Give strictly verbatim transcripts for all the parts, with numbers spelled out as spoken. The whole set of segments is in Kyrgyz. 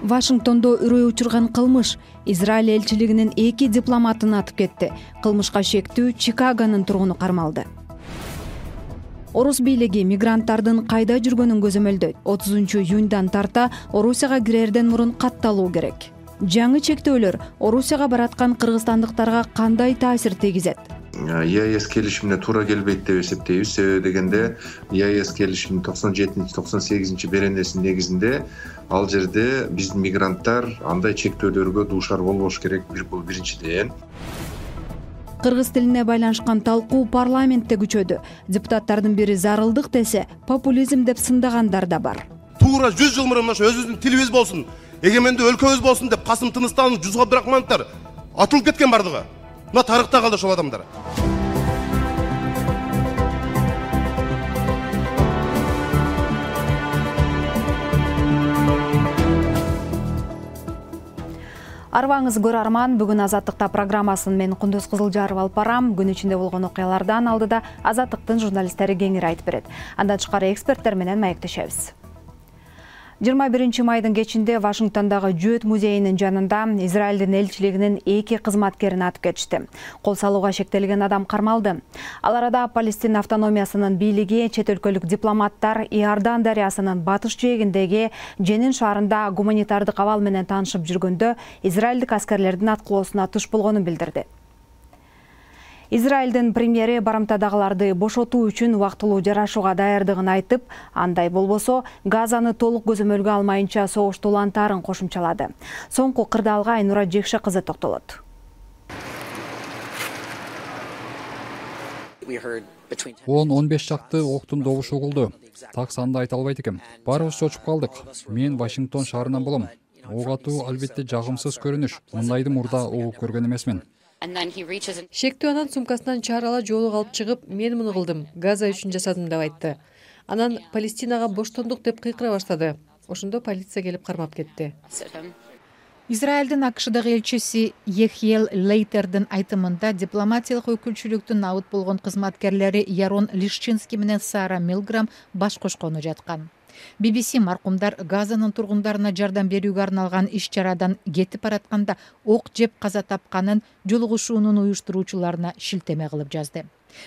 Вашингтондо үрөй учурган кылмыш. Израиль элчилигинин эки дипломатын атып кетти. Кылмышка шектүү Чикагонун тургуну кармалды. Орус бийлиги мигранттардын кайда жүргөнүн көзөмөлдөйт. отузунчу июндан тарта Орусияга кирерден мурун катталуу керек. Жаңы чектөөлөр Орусияга бараткан кыргызстандыктарга кандай таасир тийгизет? ЕАЭС келишимине туура келбейт деп эсептейбиз. Себеби дегенде ЕАЭС келишиминин токсон жетинчи токсон сегизинчи беренесинин негизинде ал жерде биздин мигранттар андай чектөөлөргө дуушар болбош керек. Бул биринчиден. Кыргыз тилине байланышкан талкуу парламентте күчөдү. Депутаттардын бири зарылдык десе, популизм деп сындагандар да бар. Туура жүз жыл мурун ошо өзүбүздүн тилибиз болсун, эгемендүү өлкөбүз болсун деп Касым Тыныстанов, Жусуп Абдрахмановдор атылып кеткен бардыгы. Мына тарыхта калды ошол адамдар. Арбаңыз көрарман, бүгүн Азаттыкта программасын мен Кундуз Кызылжаров алып барам. Күн ичинде болгон окуялардан алдыда Азаттыктын журналисттери кеңири айтып берет. Андан тышкары эксперттер менен маектешебиз. жыйырма биринчи майдын кечинде Вашингтондогу Жөөт музейинин жанында Израилдин элчилигинин эки кызматкерин атып кетишти. Кол салууга шектелген адам кармалды. Ал арада Палестина автономиясынын бийлиги, чет өлкөлүк дипломаттар Иордан дарыясынын батыш жээгиндеги Женин шаарында гуманитардык абал менен таанышып жүргөндө израилдик аскерлердин аткылоосуна туш болгонун билдирди. Израилдин премьери барымтадагыларды бошотуу үчүн убактылуу жарашууга даярдыгын айтып, андай болбосо Газаны толук көзөмөлгө алмайынча согушту улантаарын кошумчалады. Соңку кырдаалга Айнура Жекше кызы токтолот. он он беш чакты октун добушу угулду. Так санды айта албайт экем. Баарыбыз чочуп калдык. Мен Вашингтон шаарынан болом. Ок атуу албетте жагымсыз көрүнүш. Мындайды мурда угуп көргөн эмесмин. Шектүү анан сумкасынан чарала жоолук алып чыгып, мен муну кылдым, Газа үчүн жасадым деп айтты. Анан Палестинага боштондук деп кыйкыра баштады. Ошондо полиция келип кармап кетти. Израилдин АКШдагы элчиси Ехиел Лейтердин айтымында дипломатиялык өкүлчүлүктүн абыт болгон кызматкерлери Ярон Лишчинский менен Сара Милграм баш кошкону жаткан. би би си маркумдар Газанын тургундарына жардам берүүгө арналган иш-чарадан кетип баратканда ок жеп каза тапканын жолугушуунун уюштуруучуларына шилтеме кылып жазды.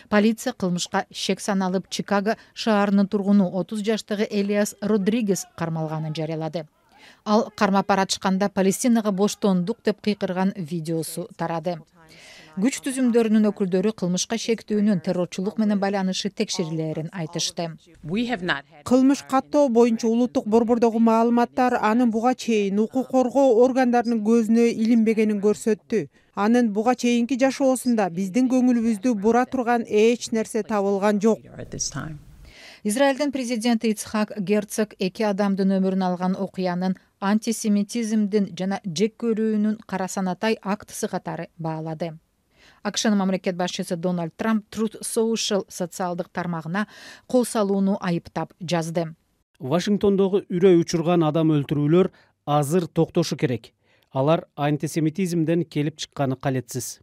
Полиция кылмышка шек саналып Чикаго шаарынын тургуну отуз жаштагы Элиас Родригес кармалганын жарыялады. Ал кармап баратышканда Палестинага боштондук деп кыйкырган видеосу тарады. Күч түзүмдөрүнүн өкүлдөрү кылмышка шектүүнүн террорчулук менен байланышы текшерилерин айтышты. Кылмыш каттоо боюнча улуттук борбордогу маалыматтар анын буга чейин укук коргоо органдарынын көзүнө илинбегенин көрсөттү. Анын буга чейинки жашоосунда биздин көңүлүбүздү бура турган эч нерсе табылган жок. Израилдин президенти Ицхак Герцог эки адамдын өмүрүн алган окуянын антисемитизмдин жана жек көрүүнүн кара санатай актысы катары баалады. АКШнын мамлекет башчысы Дональд Трамп Truth Social социалдык тармагына кол салууну айыптап жазды. Вашингтондогу үрөй учурган адам өлтүрүүлөр азыр токтошу керек. Алар антисемитизмден келип чыкканы калетсиз.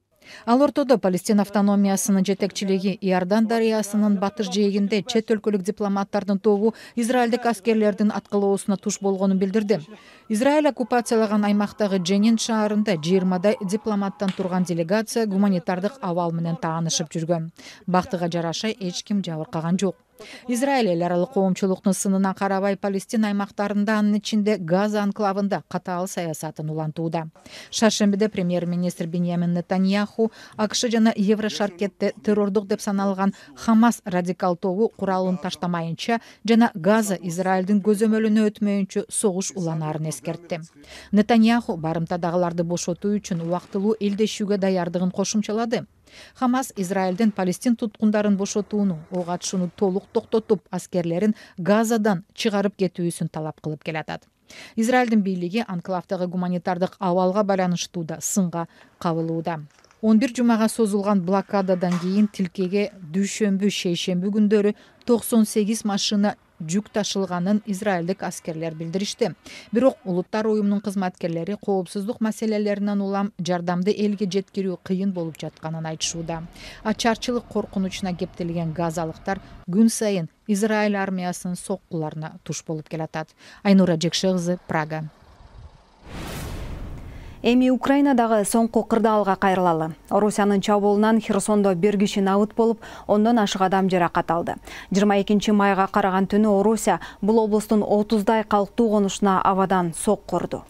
Ал ортодо Палестина автономиясынын жетекчилиги Иордан дарыясынын батыш жээгинде чет өлкөлүк дипломаттардын тобу израилдик аскерлердин аткылоосуна туш болгонун билдирди. Израиль оккупациялаган аймактагы Женин шаарында жыйырмадай дипломаттан турган делегация гуманитардык абал менен таанышып жүргөн. Бактыга жараша эч ким жабыркаган жок. Израиль эл аралык коомчулуктун сынына карабай Палестина аймактарында, анын ичинде Газа анклавында катаал саясатын улантууда. Шаршембиде премьер-министр Биньямин Нетаньяху АКШ жана Еврошаркетте террордук деп саналган Хамас радикал тобу куралын таштамайынча жана Газа Израилдин көзөмөлүнө өтмөйүнчө согуш уланаарын эскертти. Нетаньяху барымтадагыларды бошотуу үчүн убактылуу элдешүүгө даярдыгын кошумчалады. Хамас Израилдин Палестин туткундарын бошотууну, ок атышууну толук токтотуп, аскерлерин Газадан чыгарып кетүүсүн талап кылып келатат. Израилдин бийлиги анклавдагы гуманитардык абалга байланыштуу да сынга кабылууда. он бир жумага созулган блокададан кийин тилкеге дүйшөмбү, шейшемби күндөрү токсон сегиз машина жүк ташылганын израилдик аскерлер билдиришти. Бирок Улуттар уюмунун кызматкерлери коопсуздук маселелеринен улам жардамды элге жеткирүү кыйын болуп жатканын айтышууда. Ачарчылык коркунучуна кептелген газалыктар күн сайын Израиль армиясынын соккуларына туш болуп келатат. Айнура Жекше кызы, Прага. Эми Украинадагы соңку кырдаалга кайрылалы. Орусиянын чабуулунан Херсондо бир киши набыт болуп, ондон ашык адам жаракат алды. жыйырма экинчи майга караган түнү Орусия бул облустун отуздай калктуу конушуна абадан сокку урду.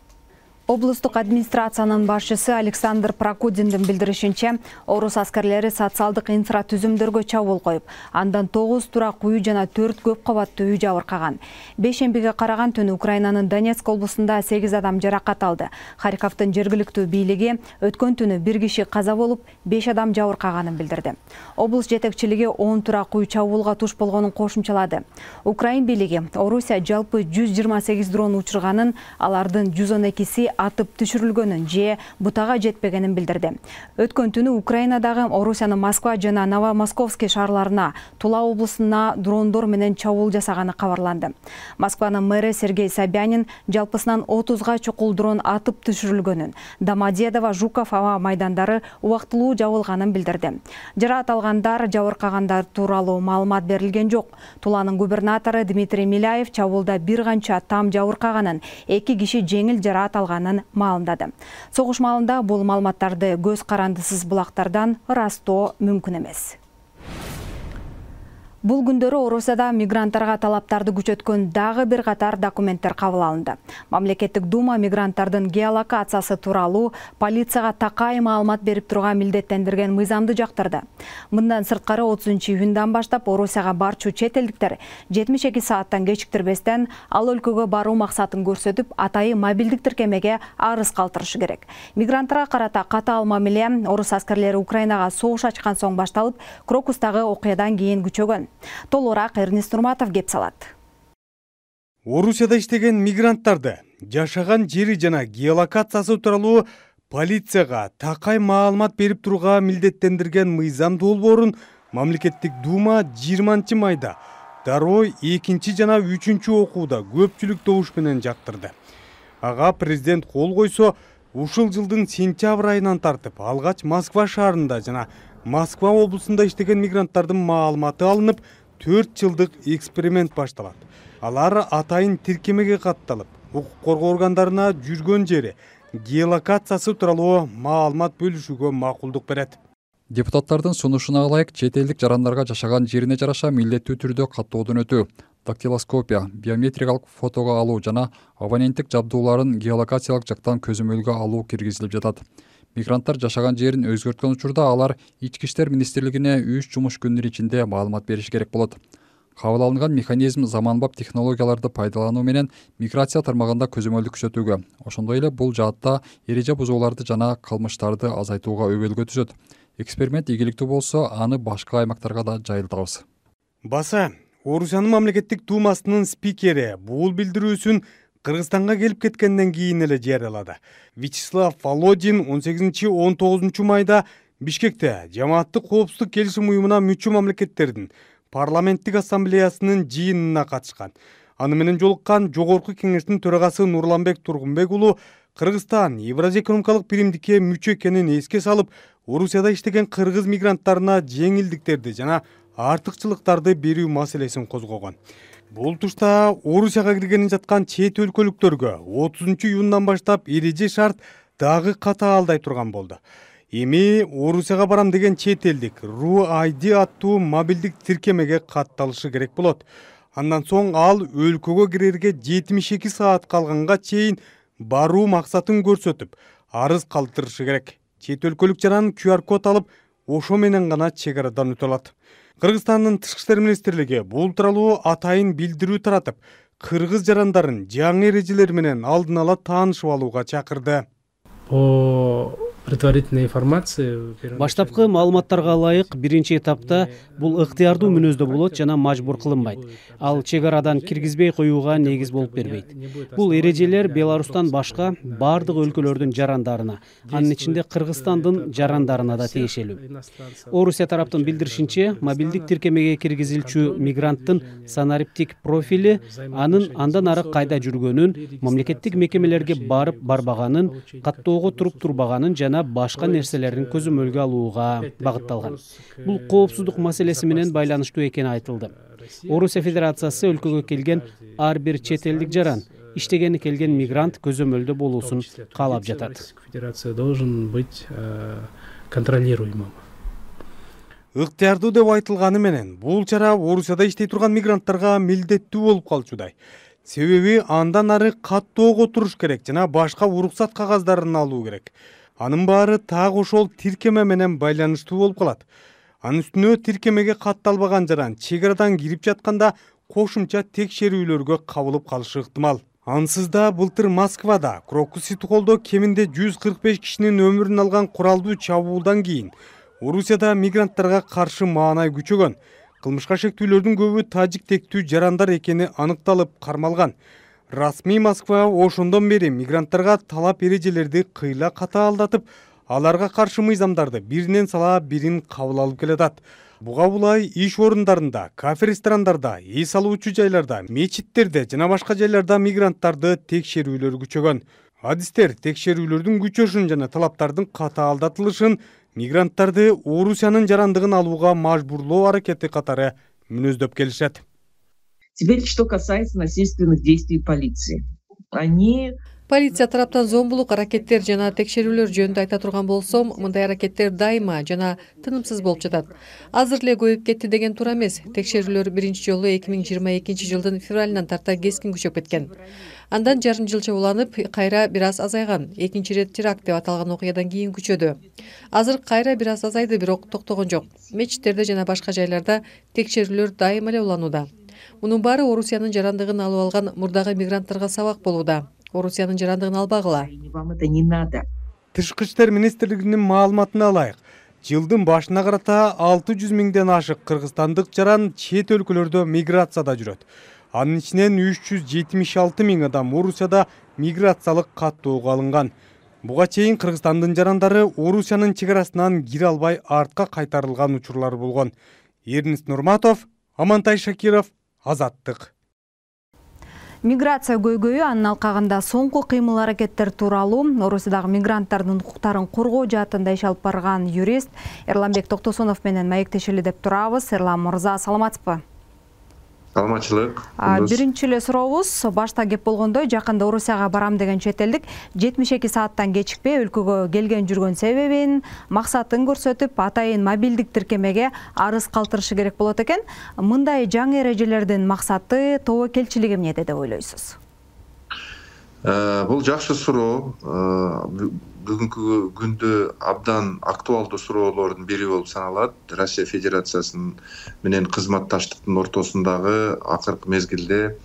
Облустук администрациянын башчысы Александр Прокудиндин билдиришинче, орус аскерлери социалдык инфратүзүмдөргө чабуул коюп, андан тогуз турак үй жана төрт көп кабаттуу үй жабыркаган. Бейшембиге караган түнү Украинанын Донецк облусунда сегиз адам жаракат алды. Харьковдун жергиликтүү бийлиги өткөн түнү бир киши каза болуп, беш адам жабыркаганын билдирди. Облус жетекчилиги он турак үй чабуулга туш болгонун кошумчалады. Украин бийлиги Орусия жалпы жүз жыйырма сегиз дрон учурганын, алардын жүз он экиси атып түшүрүлгөнүн же бутага жетпегенин билдирди. Өткөн түнү Украинадагы Орусиянын Москва жана Новомосковский шаарларына, Тула облусуна дрондор менен чабуул жасаганы кабарланды. Москванын мэри Сергей Собянин жалпысынан отузга чукул дрон атып түшүрүлгөнүн, Домодедово, Жуков аба майдандары убактылуу жабылганын билдирди. Жараат алгандар, жабыркагандар тууралуу маалымат берилген жок. Туланын губернатору Дмитрий Миляев чабуулда бир канча там жабыркаганын, эки киши жеңил жараат алганын маалымдады. Согуш маалында бул маалыматтарды көз карандысыз булактардан ырастоо мүмкүн эмес. Бул күндөрү Орусияда мигранттарга талаптарды күчөткөн дагы бир катар документтер кабыл алынды. Мамлекеттик дума мигранттардын геолокациясы тууралуу полицияга такай маалымат берип турууга милдеттендирген мыйзамды жактырды. Мындан сырткары отузунчу июндан баштап Орусияга барчу чет элдиктер жетимиш эки сааттан кечиктирбестен ал өлкөгө баруу максатын көрсөтүп, атайын мобилдик тиркемеге арыз калтырышы керек. Мигранттарга карата катаал мамиле орус аскерлери Украинага согуш ачкан соң башталып, Крокустагы окуядан кийин күчөгөн. Толураак Эрнест Нурматов кеп салат. Орусияда иштеген мигранттарды жашаган жери жана геолокациясы тууралуу полицияга такай маалымат берип турууга милдеттендирген мыйзам долбоорун мамлекеттик дума жыйырманчы майда дароо экинчи жана үчүнчү окууда көпчүлүк добуш менен жактырды. Ага президент кол койсо, ушул жылдын сентябрь айынан тартып алгач Москва шаарында жана Москва облусунда иштеген мигранттардын маалыматы алынып, төрт жылдык эксперимент башталат. Алар атайын тиркемеге катталып, укук коргоо органдарына жүргөн жери, геолокациясы тууралуу маалымат бөлүшүүгө макулдук берет. Депутаттардын сунушуна ылайык чет элдик жарандарга жашаган жерине жараша милдеттүү түрдө каттоодон өтүү, дактилоскопия, биометрикалык фотого алуу жана абоненттик жабдууларын геолокациялык жактан көзөмөлгө алуу киргизилип жатат. Мигранттар жашаган жерин өзгөрткөн учурда алар Ички иштер министрлигине үч жумуш күнүнүн ичинде маалымат бериш керек болот. Кабыл алынган механизм заманбап технологияларды пайдалануу менен миграция тармагында көзөмөлдү күчөтүүгө, ошондой эле бул жаатта эреже бузууларды жана кылмыштарды азайтууга өбөлгө түзөт. Эксперимент ийгиликтүү болсо, аны башка аймактарга да жайылтабыз. Баса, Орусиянын мамлекеттик думасынын спикери бул билдирүүсүн Кыргызстанга келип кеткенден кийин эле жарыялады. Вячеслав Володин он сегизинчи он тогузунчу майда Бишкекте Жамааттык коопсуздук келишим уюмуна мүчө мамлекеттердин парламенттик ассамблеясынын жыйынына катышкан. Аны менен жолуккан Жогорку кеңештин төрагасы Нурланбек Тургунбек уулу Кыргызстан Евразия экономикалык биримдикке мүчө экенин эске салып, Орусияда иштеген кыргыз мигранттарына жеңилдиктерди жана артыкчылыктарды берүү маселесин козгогон. Бул тушта Орусияга киргени жаткан чет өлкөлүктөргө отузунчу июндан баштап эреже шарт дагы катаалдай турган болду. Эми Орусияга барам деген чет элдик Ру ай ди аттуу мобилдик тиркемеге катталышы керек болот. Андан соң ал өлкөгө кирерге жетимиш эки саат калганга чейин баруу максатын көрсөтүп, арыз калтырышы керек. Чет өлкөлүк жаран ку ар код алып, ошо менен гана чек арадан өтө алат. Кыргызстандын Тышкы иштер министрлиги бул тууралуу атайын билдирүү таратып, кыргыз жарандарын жаңы эрежелер менен алдын ала таанышып алууга чакырды. По предварительной информации баштапкы маалыматтарга ылайык биринчи этапта бул ыктыярдуу мүнөздө болот жана мажбур кылынбайт. Ал чек арадан киргизбей коюуга негиз болуп бербейт. Бул эрежелер Беларустан башка бардык өлкөлөрдүн жарандарына, анын ичинде Кыргызстандын жарандарына да тиешелүү. Орусия тараптын билдиришинче, мобилдик тиркемеге киргизилчү мигранттын санариптик профили, анын андан ары кайда жүргөнүн, мамлекеттик мекемелерге барып барбаганын, каттоого туруп турбаганын жана башка нерселерин көзөмөлгө алууга багытталган. Бул коопсуздук маселеси менен байланыштуу экени айтылды. Орусия Федерациясы өлкөгө келген ар бир чет элдик жаран иштегени келген мигрант көзөмөлдө болуусун каалап жатат. Федерация должен быть контролируемым. Ыктыярдуу деп айтылганы менен бул чара Орусияда иштей турган мигранттарга милдеттүү болуп калчудай. Себеби андан ары каттоого туруш керек жана башка уруксат кагаздарын алуу керек. Анын баары так ошол тиркеме менен байланыштуу болуп калат. Анын үстүнө тиркемеге катталбаган жаран чек арадан кирип жатканда кошумча текшерүүлөргө кабылып калышы ыктымал. Ансыз да былтыр Москвада Крокус-Ситхолдо кеминде жүз кырк беш кишинин өмүрүн алган куралдуу чабуулдан кийин Орусияда мигранттарга каршы маанай күчөгөн. Кылмышка шектүүлөрдүн көбү тажик тектүү жарандар экени аныкталып кармалган. Расмий Москва ошондон бери мигранттарга талап эрежелерди кыйла катаалдатып, аларга каршы мыйзамдарды биринен сала бирин кабыл алып келатат. Буга булай иш орундарында, кафе ресторандарда, эс алуучу жайларда, мечиттерде жана башка жайларда мигранттарды текшерүүлөр күчөгөн. Адистер текшерүүлөрдүн күчөшүн жана талаптардын катаалдатылышын мигранттарды Орусиянын жарандыгын алууга мажбурлоо аракети катары мүнөздөп келишет. Теперь, что касается насильственных действий полиции. Они Полиция тараптан зомбулук аракеттер жана текшерүүлөр жөнүндө айта турган болсом, мындай аракеттер дайыма жана тынымсыз болуп жатат. Азыр эле көбөйүп кетти деген туура эмес. Текшерүүлөр биринчи жолу эки миң жыйырма экинчи жылдын февралынан тарта кескин күчөп кеткен. Андан жарым жылча уланып, кайра бир аз азайган. Экинчи ирет теракт деп аталган окуядан кийин күчөдү. Азыр кайра бир аз азайды, бирок токтогон жок. Мечиттерде жана башка жайларда текшерүүлөр дайыма эле уланууда. Мунун баары Орусиянын жарандыгын алып алган мурдагы мигранттарга сабак болууда. Орусиянын жарандыгын албагыла. Тышкы иштер министрлигинин маалыматына алайык. Жылдын башына карата алты жүз миңден ашык кыргызстандык жаран чет өлкөлөрдө миграцияда жүрөт. Анын ичинен үч жүз жетимиш алты миң адам Орусияда миграциялык каттоого алынган. Буга чейин Кыргызстандын жарандары Орусиянын чек арасынан кире албай артка кайтарылган учурлар болгон. Эрнис Нурматов, Амантай Шакиров, Азаттык. Миграция көйгөйү анын алкагында соңку кыймыл аракеттер тууралуу Орусиядагы мигранттардын укуктарын коргоо жаатында иш алып барган юрист Эрламбек Токтосунов менен маектешели деп турабыз. Эрлам мырза, саламатсызбы? Саламатчылык. Биринчи эле сурообуз, башта кеп болгондой, жакында Орусияга барам деген чет элдик жетимиш эки сааттан кечикпей өлкөгө келген жүргөн себебин, максатын көрсөтүп, атайын мобилдик тиркемеге арыз калтырышы керек болот экен. Мындай жаңы эрежелердин максаты, тобокелчилиги эмнеде деп ойлойсуз? Бул жакшы суроо. Бүгүнкү күндө абдан актуалдуу суроолордун бири болуп саналат. Россия Федерациясынын менен кызматташтыктын ортосундагы акыркы мезгилде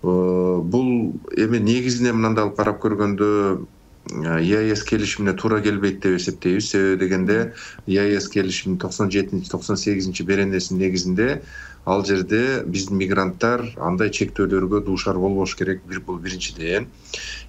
бул эми негизине мындай алып карап көргөндө ЕАЭС келишимине туура келбейт деп эсептейбиз. Себеби дегенде ЕАЭС келишиминин токсон жетинчи токсон сегизинчи беренесинин негизинде ал жерде биздин мигранттар андай чектөөлөргө дуушар болбош керек. Бир бул биринчиден.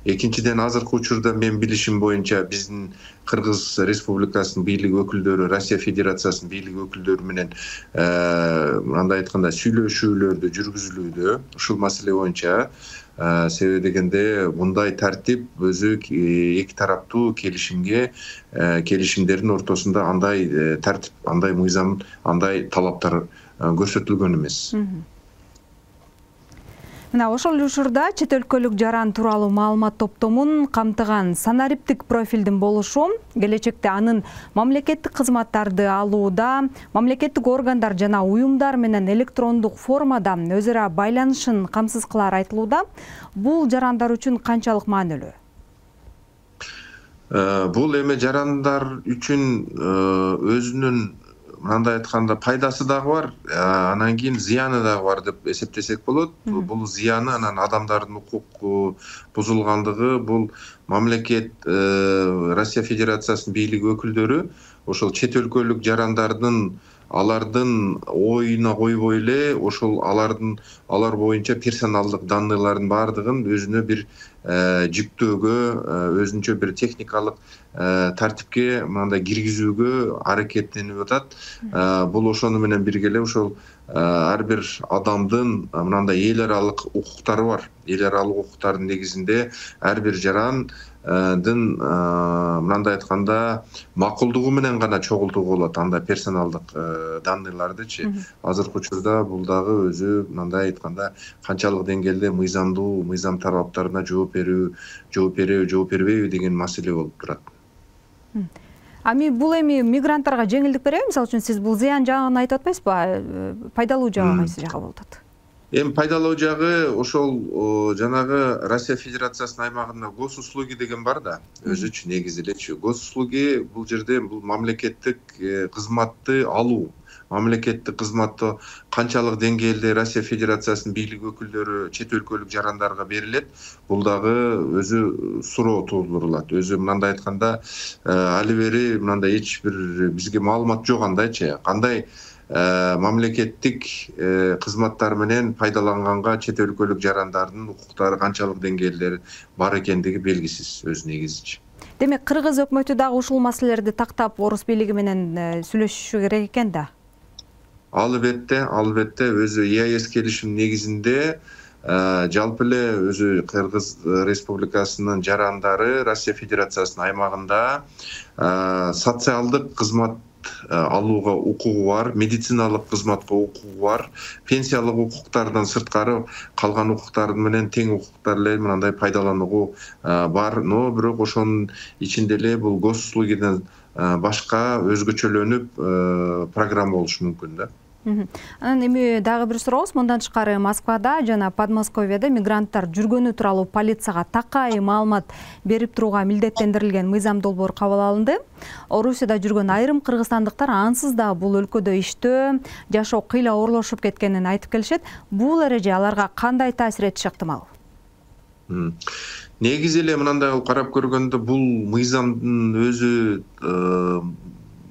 Экинчиден, азыркы учурда мен билишим боюнча биздин Кыргыз Республикасынын бийлик өкүлдөрү, Россия Федерациясынын бийлик өкүлдөрү менен андай айтканда сүйлөшүүлөрдү жүргүзүлүүдө ушул маселе боюнча. Себеби дегенде мындай тартип өзү эки тараптуу келишимге, келишимдердин ортосунда андай тартип, андай мыйзам, андай талаптар көрсөтүлгөн эмес. Мына ошол учурда чет өлкөлүк жаран тууралуу маалымат топтомун камтыган санариптик профилдин болушу келечекте анын мамлекеттик кызматтарды алууда, мамлекеттик органдар жана уюмдар менен электрондук формада өз ара байланышын камсыз кылары айтылууда. Бул жарандар үчүн канчалык маанилүү? Бул эми жарандар үчүн өзүнүн мындай айтканда пайдасы дагы бар, анан кийин зыяны дагы бар деп эсептесек болот. Бул зыяны анан адамдардын укугу бузулгандыгы, бул мамлекет Россия Федерациясынын бийлик өкүлдөрү ошол чет өлкөлүк жарандардын алардын оюна койбой эле ошол алардын алар боюнча персоналдык данныйлардын баардыгын өзүнө бир жүктөөгө, өзүнчө бир техникалык тартипке мындай киргизүүгө аракеттенип атат. Бул ошону менен бирге эле ошол ар бир адамдын мындай эл аралык укуктары бар. Эл аралык укуктардын негизинде ар бир жарандын мындай айтканда макулдугу менен гана чогултууга болот андай персоналдык данныйлардычы. Азыркы учурда бул дагы өзү мындай айтканда канчалык деңгээлде мыйзамдуу, мыйзам талаптарына жооп берүү, жооп береби, жооп бербейби деген маселе болуп турат. Ами бул эми мигранттарга жеңилдик береби? Мисалы үчүн сиз бул зыян жагын айтып атпайсызбы? Пайдалуу жагы кайсы жагы болуп атат? Эми пайдалуу жагы ошол жанагы Россия Федерациясынын аймагында госуслуги деген бар да, өзүчү негизи элечи. Госуслуги бул жерде бул мамлекеттик кызматты алуу, мамлекеттик кызматты канчалык деңгээлде Россия Федерациясынын бийлик өкүлдөрү чет өлкөлүк жарандарга берилет, бул дагы өзү суроо туудурулат. Өзү мындай айтканда али бери мындай эч бир бизге маалымат жок андайчы. Кандай мамлекеттик кызматтар менен пайдаланганга чет өлкөлүк жарандардын укуктары канчалык деңгээлде бар экендиги белгисиз өз негизичи. Демек, Кыргыз өкмөтү дагы ушул маселелерди тактап, орус бийлиги менен сүйлөшүшү керек экен да. Албетте, албетте өзү И А С келишим негизинде жалпы эле өзү Кыргыз Республикасынын жарандары Россия Федерациясынын аймагында социалдык кызмат алууга укугу бар, медициналык кызматка укугу бар, пенсиялык укуктардан сырткары калган укуктардын менен тең укуктар эле мындай пайдаланууга бар. Но бирок ошонун ичинде эле бул госуслугиден башка өзгөчөлөнүп программа болушу мүмкүн да. Анан эми дагы бир сурообуз. Мындан тышкары Москвада жана Подмосковьеде мигранттар жүргөнү тууралуу полицияга такай маалымат берип турууга милдеттендирилген мыйзам долбоор кабыл алынды. Орусияда жүргөн айрым кыргызстандыктар ансыз да бул өлкөдө иштөө, жашоо кыйла оорлошуп кеткенин айтып келишет. Бул эреже аларга кандай таасир этиши ыктымал? Негизи эле мындай карап көргөндө бул мыйзамдын өзү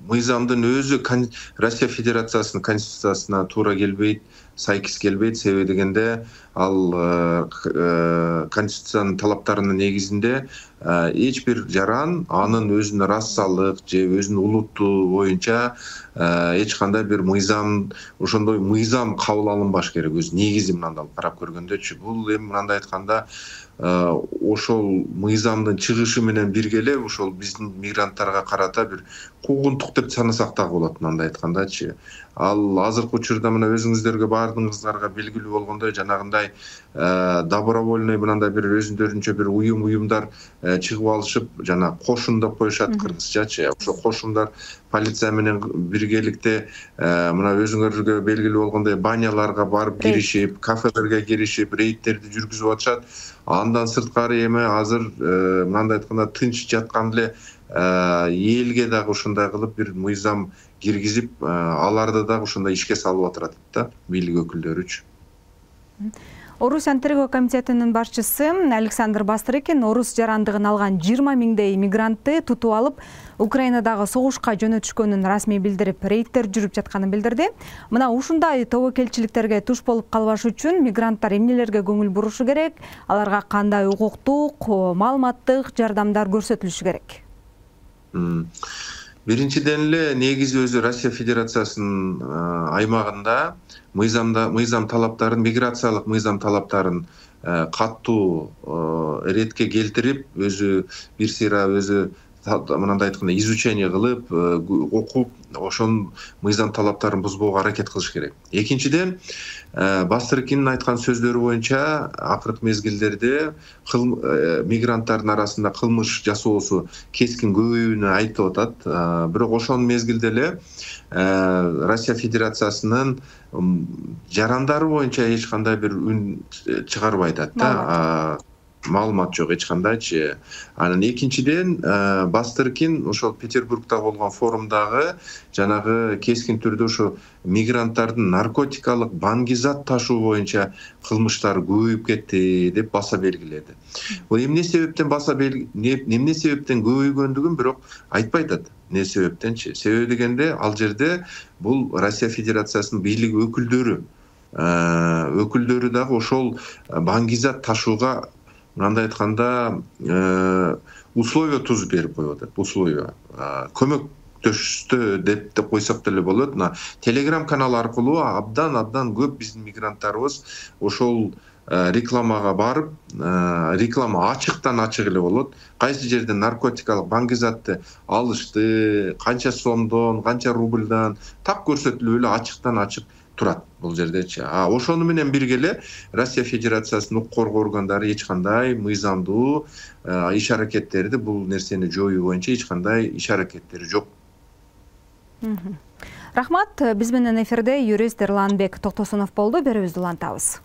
мыйзамдын өзү Россия Федерациясынын конституциясына туура келбейт, сайкис келбейт. Себеби дегенде ал конституциянын талаптарынын негизинде эч бир жаран анын өзүнүн расалык же өзүнүн улутту боюнча эч кандай бир мыйзам, ошондой мыйзам кабыл алынбаш керек. Өз негизи мындай карап көргөндөчү. Бул эми мындай айтканда ошол мыйзамдын чыгышы менен бирге эле ошол биздин мигранттарга карата бир куугунтук деп санасак дагы болот мындай айткандачы. Ал азыркы учурда мына өзүңүздөргө баардыгыңыздарга белгилүү болгондой жанагындай добровольный мындай бир өзүндөрүнчө бир уюм уюмдар чыгып алышып, жана кошун деп коюшат кыргызчачы. Ошо кошундар полиция менен биргеликте мына өзүңөргө белгилүү болгондой баняларга барып киришип, кафелерге киришип, рейдтерди жүргүзүп атышат. Андан сырткары эми азыр мындай айтканда тынч жаткан эле элге дагы ушундай кылып бир мыйзам киргизип, аларды дагы ушундай ишке салып атышат да, бийлик өкүлдөрүчү. Орусиянын тергөө комитетинин башчысы Александр Бастрыкин орус жарандыгын алган жыйырма миңдей мигрантты тутуп алып, Украинадагы согушка жөнөтүшкөнүн расмий билдирип, рейдтер жүрүп жатканын билдирди. Мына ушундай тобокелчиликтерге туш болуп калбаш үчүн мигранттар эмнелерге көңүл бурушу керек? Аларга кандай укуктук, маалыматтык жардамдар көрсөтүлүшү керек? Биринчиден эле негизи өзү Россия Федерациясынын аймагында мыйзамда мыйзам талаптарын, миграциялык мыйзам талаптарын катуу эретке келтирип, өзү бир сыйра өзү мындай айтканда изучение кылып, окуп, ошонун мыйзам талаптарын бузбоого аракет кылыш керек. Экинчиден, Бастрыкиндин айткан сөздөрү боюнча акыркы мезгилдерде мигранттардын арасында кылмыш жасоосу кескин көбөйүүнү айтып атат. Бирок ошонун мезгилде эле Россия Федерациясынын жарандары боюнча эч кандай бир үн чыгарбай атат да. Маалымат жок эч кандайчы. Анан экинчиден Бастрыкин ошол Петербургда болгон форумдагы жанагы кескин түрдө ошо мигранттардын наркотикалык баңгизат ташуу боюнча кылмыштар көбөйүп кетти деп баса белгиледи. Бул эмне себептен баса эмне себептен көбөйгөндүгүн бирок айтпай атат. Не себептенчи? Себеби дегенде ал жерде бул Россия Федерациясынын бийлик өкүлдөрү өкүлдөрү дагы ошол баңгизат ташууга мындай айтканда условия тузуп берип коюп атат. Условия көмөк көмөктөштү деп деп койсок деле болот. Мына Telegram канал аркылуу абдан абдан көп биздин мигранттарыбыз ошол рекламага барып, реклама ачыктан ачык эле болот. Кайсы жерден наркотикалык баңгизатты алышты, канча сомдон, канча рубльдан так көрсөтүлүп эле ачыктан ачык турат бул жердечи. А ошону менен бирге эле Россия Федерациясынын укук коргоо органдары эч кандай мыйзамдуу иш аракеттерди бул нерсени жоюу боюнча эч кандай иш аракеттери жок. Рахмат. Биз менен эфирде юрист Эрланбек Токтосунов болду. Берүүбүздү улантабыз.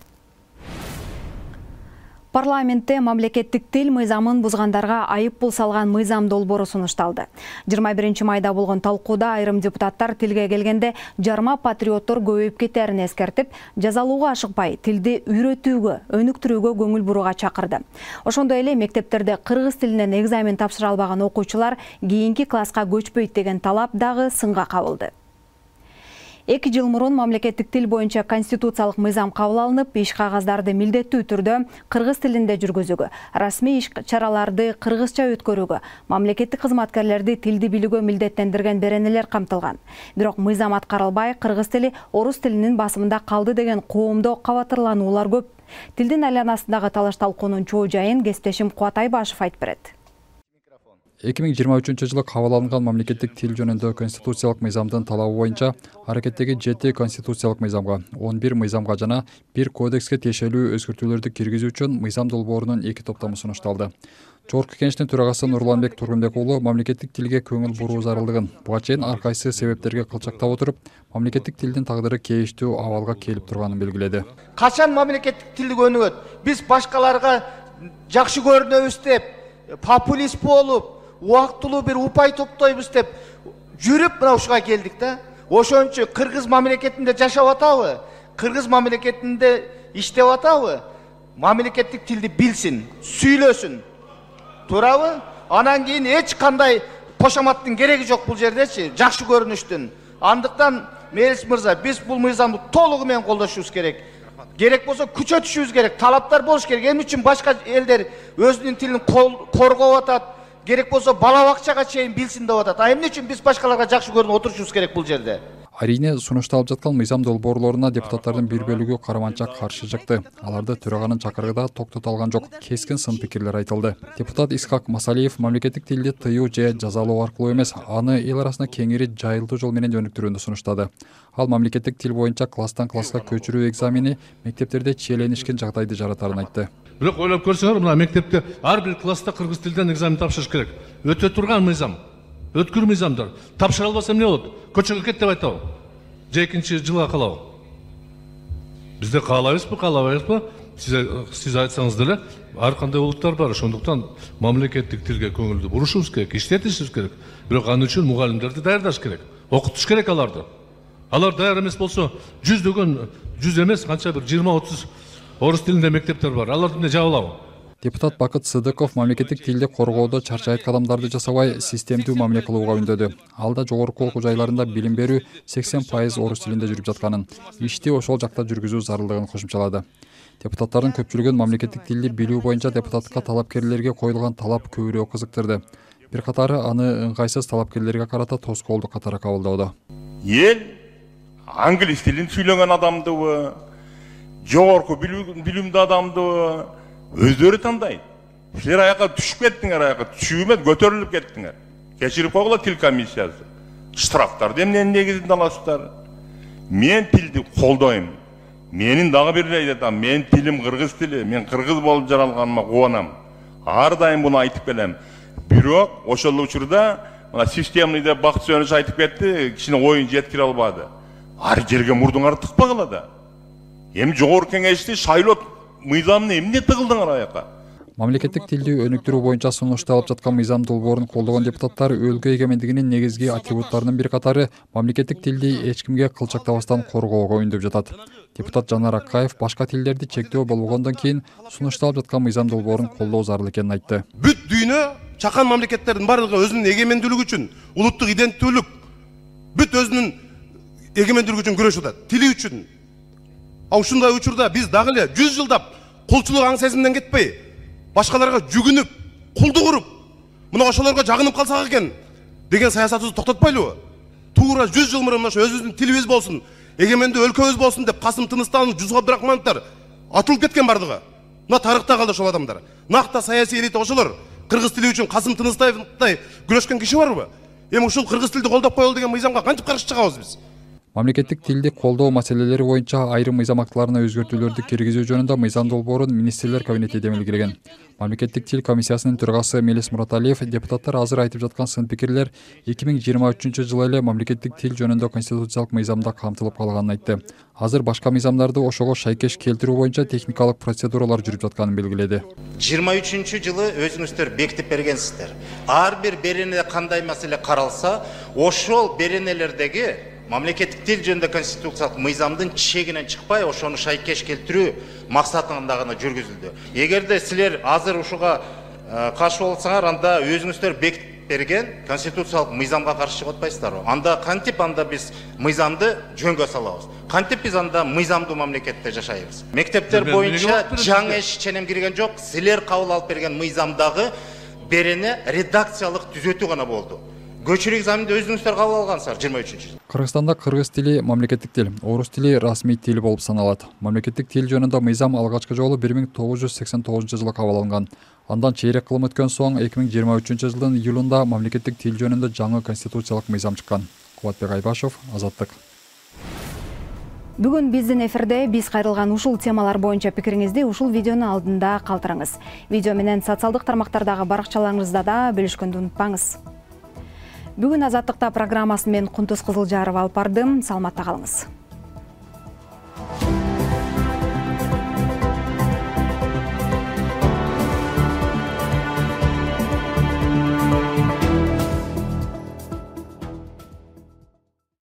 Парламентте мамлекеттик тил мыйзамын бузгандарга айып пул салган мыйзам долбоору сунушталды. жыйырма биринчи майда болгон талкууда айрым депутаттар тилге келгенде жарма патриоттор көбөйүп кетерин эскертип, жазалууга ашыкпай, тилди үйрөтүүгө, өнүктүрүүгө көңүл бурууга чакырды. Ошондой эле мектептерде кыргыз тилинен экзамен тапшыра албаган окуучулар кийинки класска көчпөйт деген талап дагы сынга кабылды. эки жыл мурун мамлекеттик тил боюнча конституциялык мыйзам кабыл алынып, иш кагаздарды милдеттүү түрдө кыргыз тилинде жүргүзүүгө, расмий иш чараларды кыргызча өткөрүүгө, мамлекеттик кызматкерлерди тилди билүүгө милдеттендирген беренелер камтылган. Бирок мыйзам аткарылбай, кыргыз тили орус тилинин басымында калды деген коомдо кабатырлануулар көп. Тилдин айланасындагы талаш-талкуунун чоо жайын кесиптешим Кубат Айбашев айтып берет. эки миң жыйырма үчүнчү жылы кабыл алынган мамлекеттик тил жөнүндө конституциялык мыйзамдын талабы боюнча аракеттеги жети конституциялык мыйзамга, он бир мыйзамга жана бир кодекске тиешелүү өзгөртүүлөрдү киргизүү үчүн мыйзам долбоорунун эки топтому сунушталды. Жогорку Кеңештин төрагасы Нурланбек Тургунбек уулу мамлекеттик тилге көңүл буруу зарылдыгын, буга чейин ар кайсы себептерге кылчактап отуруп, мамлекеттик тилдин тагдыры кейиштүү абалга келип турганын белгиледи. Качан мамлекеттик тилди өнүгөт? Биз башкаларга жакшы көрүнөбүз деп, популист болуп, убактылуу бир упай топтойбуз деп жүрүп мына ушуга келдик да. Ошон үчүн кыргыз мамлекетинде жашап атабы? Кыргыз мамлекетинде иштеп атабы? Мамлекеттик тилди билсин, сүйлөсүн. Туурабы? Анан кийин эч кандай кошоматтын кереги жок бул жердечи, жакшы көрүнүштүн. Андыктан Мелис мырза, биз бул мыйзамды толугу менен колдошубуз керек. Керек болсо күчөтүшүбүз керек, талаптар болуш керек. Эмне үчүн башка элдер өзүнүн тилин коргоп атат? Керек болсо бала бакчага чейин билсин деп атат. А эмне үчүн биз башкаларга жакшы көрүнүп отурушубуз керек бул жерде? Арине сунушталып жаткан мыйзам долбоорлоруна депутаттардын бир бөлүгү караманча каршы чыкты. Аларды төраганын чакырыгында токтото алган жок. Кескин сын пикирлер айтылды. Депутат Исхак Масалиев мамлекеттик тилди тыюу же жазалоо аркылуу эмес, аны эл арасында кеңири жайылтуу жол менен өнүктүрүүнү сунуштады. Ал мамлекеттик тил боюнча класстан класска көчүрүү экзамени мектептерде чиеленишкен жагдайды жаратарын айтты. Бирок ойлоп көрсөңөр, мына мектепте ар бир класста кыргыз тилден экзамен тапшырыш керек. Өтө турган мыйзам. Өткүр мыйзамдар. Тапшыра албаса эмне болот? Көчөгө кет деп айтабы? Же экинчи жылга калабы? Бизде каалайбызбы, каалабайбызбы? Сиз сиз айтсаңыз деле, ар кандай улуттар бар. Ошондуктан мамлекеттик тилге көңүлдү бурушубуз керек, иштетишибиз керек. Бирок аны үчүн мугалимдерди даярдаш керек. Окутуш керек аларды. Алар даяр эмес болсо, жүздөгөн, жүз эмес, канча бир жыйырма отуз орус тилинде мектептер бар. Аларды эмне жабылабы? Депутат Бакыт Сыдыков мамлекеттик тилди коргоодо чарчайт кадамдарды жасабай, системдүү мамиле кылууга үндөдү. Алда жогорку окуу жайларында билим берүү сексен пайыз орус тилинде жүрүп жатканын, ишти ошол жакта жүргүзүү зарылдыгын кошумчалады. Депутаттардын көпчүлүгүн мамлекеттик тилди билүү боюнча депутатка талапкерлерге коюлган талап көбүрөөк кызыктырды. Бир катары аны ыңгайсыз талапкерлерге карата тоскоолду катары кабылдоодо. Эл англис тилин сүйлөгөн адамдыбы, жогорку билимдүү адамдыбы өздөрү тандайт. Силер аяка түшүп кеттиңер, аяка түшүп эмес, көтөрүлүп кеттиңер. Кечирип койгула тил комиссиясы. Штрафтарды эмненин негизинде аласыздар? Мен тилди колдойм. Менин дагы бир айтам, мен тилим кыргыз тили, мен кыргыз болуп жаралганыма кубанам. Ар дайым буну айтып келем. Бирок ошол учурда мына системный деп Бакыт Сөнөш айтып кетти, кичине оюн жеткире албады. Ар жерге мурдуңарды тыкпагыла да. Эми жогорку кеңешти шайлоо мыйзамны эмне тыгылдыңар аяка? Мамлекеттик тилди өнүктүрүү боюнча сунушталып жаткан мыйзам долбоорун колдогон депутаттар өлкө эгемендигинин негизги атрибуттарынын бир катары мамлекеттик тилди эч кимге кылчактабастан коргоого үндөп жатат. Депутат Жанар Акаев башка тилдерди чектөө болгондон кийин сунушталып жаткан мыйзам долбоорун колдоо зарыл экенин айтты. Бүт дүйнө чакан мамлекеттердин бардыгы өзүнүн эгемендүүлүгү үчүн, улуттук иденттүүлүк, бүт өзүнүн эгемендүүлүгү үчүн күрөшүп атат, тили үчүн. А ушундай учурда биз дагы эле жүз жылдап кулчулук аң сезимден кетпей, башкаларга жүгүнүп, кулдук уруп, мына ошолорго жагынып калсак экен, деген саясатыбызды токтотпойлубу? Туура жүз жыл мурун ошо өзүбүздүн тилибиз болсун, эгемендүү өлкөбүз болсун деп Касым Тыныстанов, Жусуп Абдырахмановдор атылып кеткен бардыгы. Мына тарыхта калды ошол адамдар. Накта саясий элита ошолор. Кыргыз тили үчүн Касым Тыныстановдай күрөшкөн киши барбы? Эми ушул кыргыз тилди колдоп коелу деген мыйзамга кантип каршы чыгабыз биз? Мамлекеттик тилди колдоо маселелери боюнча айрым мыйзам актыларына өзгөртүүлөрдү киргизүү жөнүндө мыйзам долбоорун министрлер кабинети демилгелеген. Мамлекеттик тил комиссиясынын төрагасы Мелис Мураталиев депутаттар азыр айтып жаткан сын пикирлер эки миң жыйырма үчүнчү жылы эле мамлекеттик тил жөнүндө конституциялык мыйзамда камтылып калганын айтты. Азыр башка мыйзамдарды ошого шайкеш келтирүү боюнча техникалык процедуралар жүрүп жатканын белгиледи. жыйырма үчүнчү жылы өзүңүздөр бекитип бергенсиздер. Ар бир беренеде кандай маселе каралса, ошол беренелердеги мамлекеттик тил жөнүндө конституциялык мыйзамдын чегинен чыкпай, ошону шайкеш келтирүү максатында гана жүргүзүлдү. Эгерде силер азыр ушуга каршы болсоңар, анда өзүңүздөр бекитип берген конституциялык мыйзамга каршы чыгып атпайсыздарбы? Анда кантип анда биз мыйзамды жөнгө салабыз? Кантип биз анда мыйзамдуу мамлекетте жашайбыз? Мектептер боюнча жаңы иш ченем кирген жок. Силер кабыл алып берген мыйзамдагы берене редакциялык түзөтүү гана болду. Көчүрүү экзаменди өзүңүздөр кабыл алгансыздар жыйырма үчүнчү жылы. Кыргызстанда кыргыз тили мамлекеттик тил, орус тили расмий тил болуп саналат. Мамлекеттик тил жөнүндө мыйзам алгачкы жолу бир миң тогуз жүз сексен тогузунчу жылы кабыл алынган. Андан чейрек кылым өткөн соң эки миң жыйырма үчүнчү жылдын июлунда мамлекеттик тил жөнүндө жаңы конституциялык мыйзам чыккан. Кубатбек Айбашев, Азаттык. Бүгүн биздин эфирде биз кайрылган ушул темалар боюнча пикириңизди ушул видеонун алдында калтырыңыз. Видео менен социалдык тармактардагы баракчаларыңызда да бөлүшкөндү унутпаңыз. Бүгүн Азаттыкта программасын мен Кунтуз Кызылжарова алып бардым. Саламатта калыңыз.